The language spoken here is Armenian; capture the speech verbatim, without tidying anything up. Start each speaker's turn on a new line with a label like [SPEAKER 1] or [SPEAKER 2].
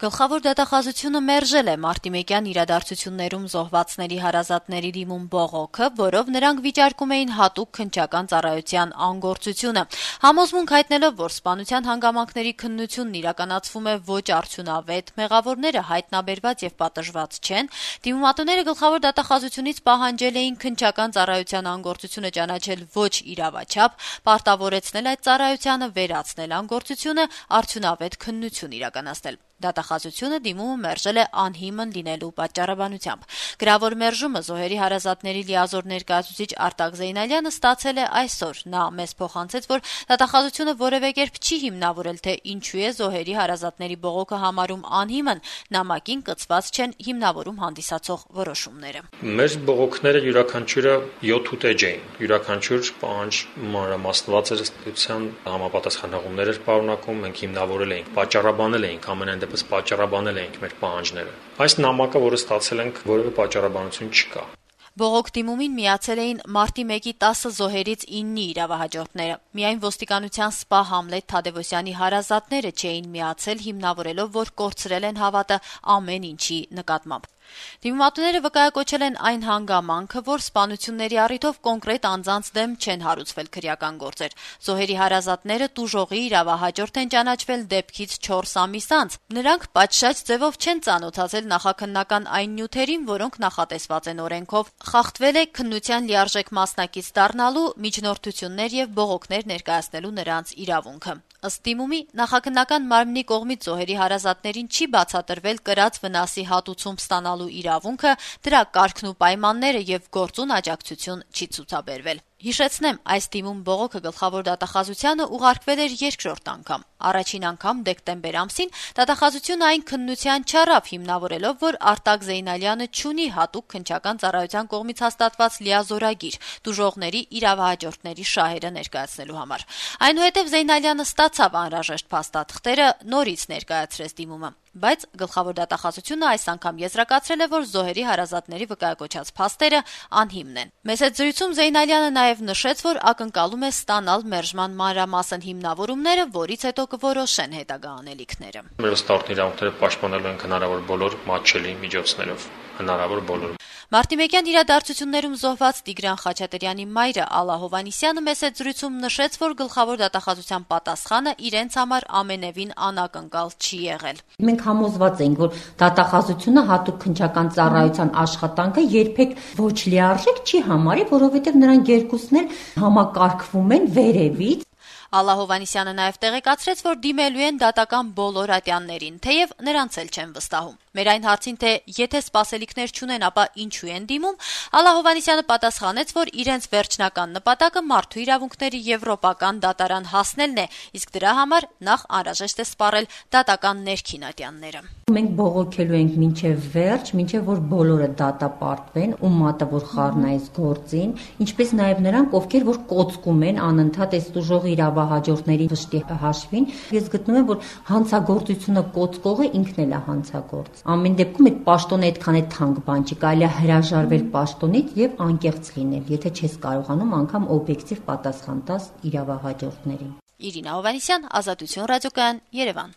[SPEAKER 1] Գլխավոր դատախազությունը մերժել է մարտիմեկյան իրադարձություններում զոհվածների հարազատների դիմում բողոքը, որով նրանք վիճարկում էին հատուկ քննչական ծառայության անգործությունը։ Համոզմունք հայտնելով, որ սպանության հանգամանքների քննությունն իրականացվում է ոչ արդյունավետ, մեղավորները հայտնաբերված եւ պատժված չեն, դիմումատուները գլխավոր դատախազությունից պահանջել էին քննչական ծառայության անգործությունը ճանաչել ոչ իրավաչափ, պարտավորեցնել այդ ծառայությանը վերացնել անգործությունը, արդյունավետ քննություն իրականացնել։ Դատախազությունը դիմումը մերժել է անհիմն լինելու պատճառաբանությամբ։ Գրավոր մերժումը զոհերի հարազատների լիազոր ներկայացուցիչ Արտակ Զեյնալյանը ստացել է այսօր։ Նա մեզ փոխանցեց, որ դատախազությունը որևէ կերպ չի հիմնավորել, թե ինչու է զոհերի հարազատների բողոքը համարում անհիմն, նամակին կցված չեն հիմնավորում հանդիսացող որոշումները։
[SPEAKER 2] Մեր բողոքները յուրաքանչյուրը յոթ ուտեջ էին։ Յուրաքանչյուր պահանջ մանրամասնված էր, ըստեյության համապատասխան հղումներ էր պարունակում, մենք հիմնավորել էինք, պատճառաբանել էինք, ամենայն դեպս պատճառաբանել էինք մեր պահանջները։ Այս նամակը, որը ստացել ենք, որևէ պատճառաբանություն չկա։
[SPEAKER 1] Բողոք դիմումին միացել էին մարտի մեկի տասը զոհերից իննի իրավահաջորդները։ Միայն ոստիկանության սպա Համլետ Թադևոսյանի հարազատները չէին միացել, հիմնավորելով, որ կորցրել են հավատը ամեն ինչի նկատմամբ։ Դիմումատուները վկայակոչել են այն հանգամանքը, որ սպանությունների առիթով կոնկրետ անձանց դեմ չեն հարուցվել քրեական գործեր։ Զոհերի հարազատները տուժողի իրավահաջորդ են ճանաչվել դեպքից չորս ամիս անց։ Նրանք պատշաճ ձևով չեն ծանոթացել նախաքննական այն նյութերին, որոնք նախատեսված են օրենքով։ Խախտվել է քննության լիարժեք մասնակից դառնալու, միջնորդություններ եւ բողոքներ ներկայացնելու նրանց իրավունքը։ Ըստ դիմումի, նախաքննական մարմնի կողմից զոհերի հարազատներին չի բացատրվել կրած վնասի հատուցում ստանալու իրավունքը, դրա կարգն ու պայմանները եւ գործուն աջակցություն չի ցուցաբերվել։ Հիշեցնեմ, այս դիմում բողոքը գլխավոր դատախազությանը ուղարկվել էր երկրորդ անգամ։ Առաջին անգամ դեկտեմբեր ամսին դատախազությունը այն քննության չառավ, հիմնավորելով, որ Արտակ Զեյնալյանը չունի հատուկ քննչական ծառայության կողմից հաստատված լիազորագիր տուժողների իրավահաջորդների շահերը ներկայացնելու համար։ Այնուհետև Զեյնալյանը ստացավ անհրաժեշտ փաստաթղթերը, նորից ներկայացրեց դիմումը։ Բայց գլխավոր դատախազությունը այս անգամ եզրակացրել է, որ զոհերի հարազատների վկայակոչած փաստերը անհիմն են։ Մեծ հետ զրույցում Զեյնալյանը նաև նշեց, որ ակնկալում է ստանալ մերժման մանրամասն հիմնավորումները, որից հետո կորոշեն հետագա անելիքները։
[SPEAKER 2] Մեր ստարտի իրավունքները պաշտպանելու են հնարավոր բոլոր մատչելի միջոցներով, հնարավոր բոլոր։
[SPEAKER 1] Մարտիմեկյան իրադարձություններում զոհված Տիգրան Խաչատրյանի մայրը Ալլա Հովհաննիսյանը մեծ հետ զրույցում նշեց, որ գլխավոր դատախազության պատասխանը իրենց համար ամենևին անակնկալ չի եղել։
[SPEAKER 3] Մենք համոզված ենք, որ դատախազությունը հատուկ քննչական ծառայության աշխատանքը երբեք ոչ լիարժեք չի համարի, որովհետև նրանք երկուսն էլ համակարգվում են վերևից։
[SPEAKER 1] Ալլա Հովհաննիսյանը նաև տեղեկացրեց, որ դիմելու են դատական բոլոր ատյաններին, թեև նրանց էլ չեն վստահում։ Մեր այն հարցին, թե եթե սպասելիքներ չունեն, ապա ինչու են դիմում, Ալլա Հովհաննիսյանը պատասխանեց, որ իրենց վերջնական նպատակը մարդու իրավունքների եվրոպական դատարան հասնելն է, իսկ դրա համար նախ անհրաժեշտ է սպառել դատական ներքին ատյանները։
[SPEAKER 3] Մենք բողոքելու ենք մինչև վերջ, մինչև որ բոլորը դատապարտվեն, ու մատը որ խառնա այս գործին, ինչպես նաև նրանք, ովքեր որ կոծկում են անընդհատ այս տուժող իրավահաջորդների վշտի հաշվին։ Ես գտնում եմ, որ հանցագործությունը կոծկողը ինքն էլ է հանցագործ։ Ամեն դեպքում այդ պաշտոնը այդքան է թանկ բան չի, կարելի է հրաժարվել պաշտոնից եւ անկեղծ լինել, եթե չես կարողանում անգամ օբյեկտիվ պատասխան տաս իրավահաջորդներին։
[SPEAKER 1] Իրինա Հովհաննիսյան, Ազատություն ռադիոկայան, Երևան։